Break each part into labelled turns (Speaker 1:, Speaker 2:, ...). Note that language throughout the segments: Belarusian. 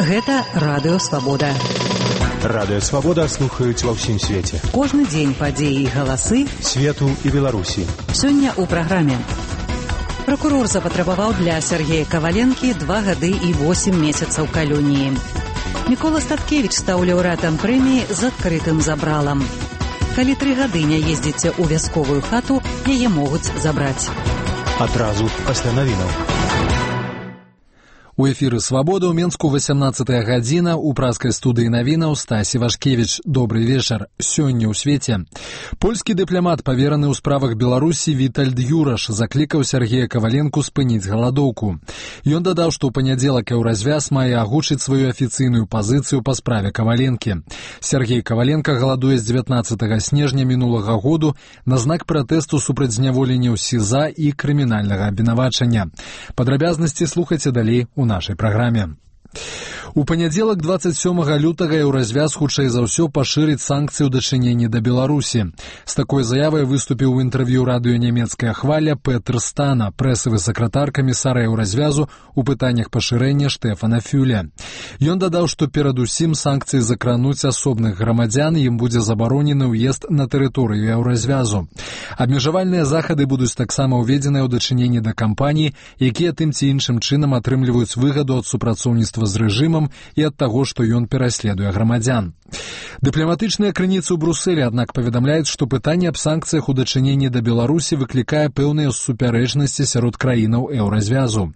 Speaker 1: Гэта Радыё Свабода.
Speaker 2: Радыё Свабода слухаюць ва ўсім свеце.
Speaker 1: Кожны дзень падзеі і галасы
Speaker 2: свету і Беларусі.
Speaker 1: Сёння ў праграме. Пракурор запатрабаваў для Сергея Каваленкі 2 гады і 8 месяцаў калоніі. Мікола Статкевіч стаў лаўрэатам прэміі з адкрытым забралам. Калі 3 гады не ездзіце ў вясковую хату, яе могуць забраць.
Speaker 2: Адразу пасля навінаў.
Speaker 3: У эфіры «Свабода» ў Менску 18-я гадзіна, у праскай студыі навінаў Стасі Вашкевіч. Добрый вечар. Сёння ў свеце. Польскі дыпламат, павераны ў справах Беларусі Вітальд Юраш, заклікаў Сергея Каваленку спыніць галадоўку. Ён дадаў, што ў панядзелак Еўразвяз мае агучыць сваю афіцыйную пазіцыю па справе Каваленкі. Сергей Каваленка галадуе з 19 снежня мінулага году на знак пратэсту супраць зняволення ў СІЗА і крымінальнага абвінавачання. Падрабязнасці слухайце далей у нашай праграме. У панядзелак 27 лютага Еўразвяз хутчэй за ўсё пашырыць санкцыі ў дачыненні да Беларусі. З такой заявай выступіў у інтэрв'ю радыё «Нямецкая хваля» Петр Стана, прэсавы сакратар камісара Еўразвязу у пытаннях пашырэння Штефана Фюля. Ён дадаў, што перадусім санкцыі закрануць асобных грамадзян, ім будзе забаронены ўезд на тэрыторыю Еўразвязу. Абмежавальныя захады будуць таксама ўведзеныя ў дачыненні да кампаній, якія тым ці іншым чынам атрымліваюць выгаду ад супрацоўніцтва з рэжымам і ад таго, што ён пераследуе грамадзян. Дыпламатычныя крыніцы ў Брусэлі, аднак, паведамляюць, што пытанне аб санкцыях у дачыненні да Беларусі выклікае пэўныя супярэчнасці сярод краінаў Еўразвязу.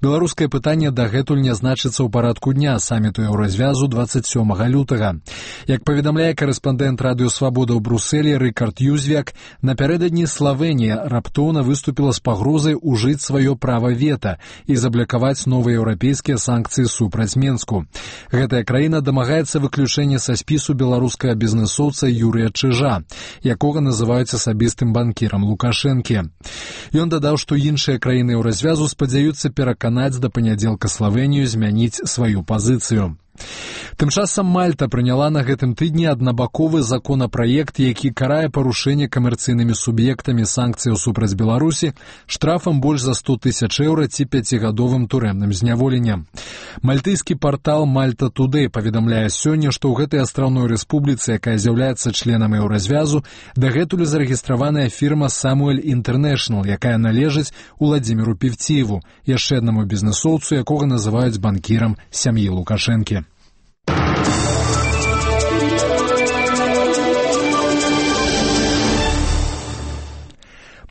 Speaker 3: Беларускае пытанне дагэтуль не значыцца ў парадку дня саміту Еўразвязу 27 лютага. Як паведамляе корэспандэнт радыё «Свабода» ў Брусэлі Рыкард Юзвяк, напярэдадні Славенія раптоўна выступіла з пагрозай ужыць сваё права вета і заблакаваць новыя еўрапейскія санкцыі супраць Менску. Гэтая краіна дамагаецца выключэння са спісу беларускага бізнэсоўца Юрыя Чыжа, якога называюць асабістым банкірам Лукашэнкі. Ён дадаў, што іншыя краіны Еўразвязу спадзяюцца пераканаць да панядзелка Славенію змяніць сваю пазіцыю. Тым часам Мальта прыняла на гэтым тыдні аднабаковы законапраект, які карае парушэнне камерцыйнымі суб'ектамі санкцыяў супраць Беларусі штрафам больш за 100 000 еўра ці 5-гадовым турэмным зняволеннем. Мальтыйскі партал Malta Today паведамляе сёння, што ў гэтай астраўной рэспубліцы, якая з'яўляецца членам Еўразвязу, дагэтуль зарэгістраваная фірма Samuel International, якая належыць Уладзіміру Певціеву, яшчэ аднаму бізнэсоўцу, якога называюць банкірам сям'і Лукашэнкі.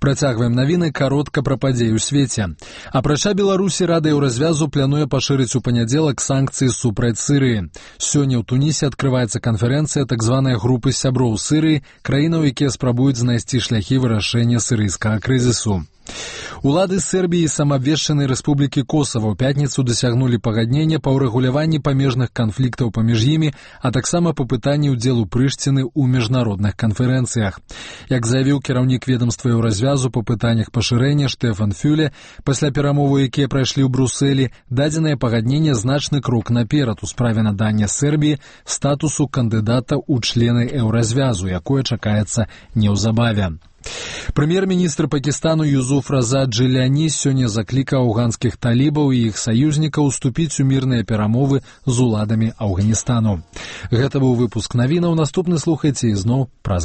Speaker 3: Працягваем навіны каротка пра падзеі ў свеце. Апрача Беларусі, Рада Еўразвязу плануе пашырыць у панядзелак санкцыі супраць Сырыі. Сёння ў Тунісе адкрываецца канферэнцыя так званай групы сяброў Сырыі, краінаў, якія спрабуюць знайсці шляхі вырашэння сірыйскага крызісу. Улады Сербіі і самаабвешчанай рэспублікі Косава ў пятніцу дасягнулі пагаднення па ўрэгуляванні памежных канфліктаў паміж імі, а таксама па пытанні ўдзелу Прышціны ў міжнародных канферэнцыях. Як заявіў кіраўнік ведамства Еўразвязу па пытаннях пашырэння Штефан Фюле, пасля перамоваў, якія прайшлі ў Брусэлі, дадзенае пагадненне значны крок наперад у справе надання Сербіі статусу кандыдата ў члены Еўразвязу, якое чакаецца неўзабаве. Прэм'ер-міністр Пакістану Юзуф Раза Джиляні сёння заклікаў афганскіх талібаў і іх саюзнікаў уступіць у мірныя перамовы з уладамі Афганістану. Гэта быў выпуск навінаў. Наступны слухайце ізноў праз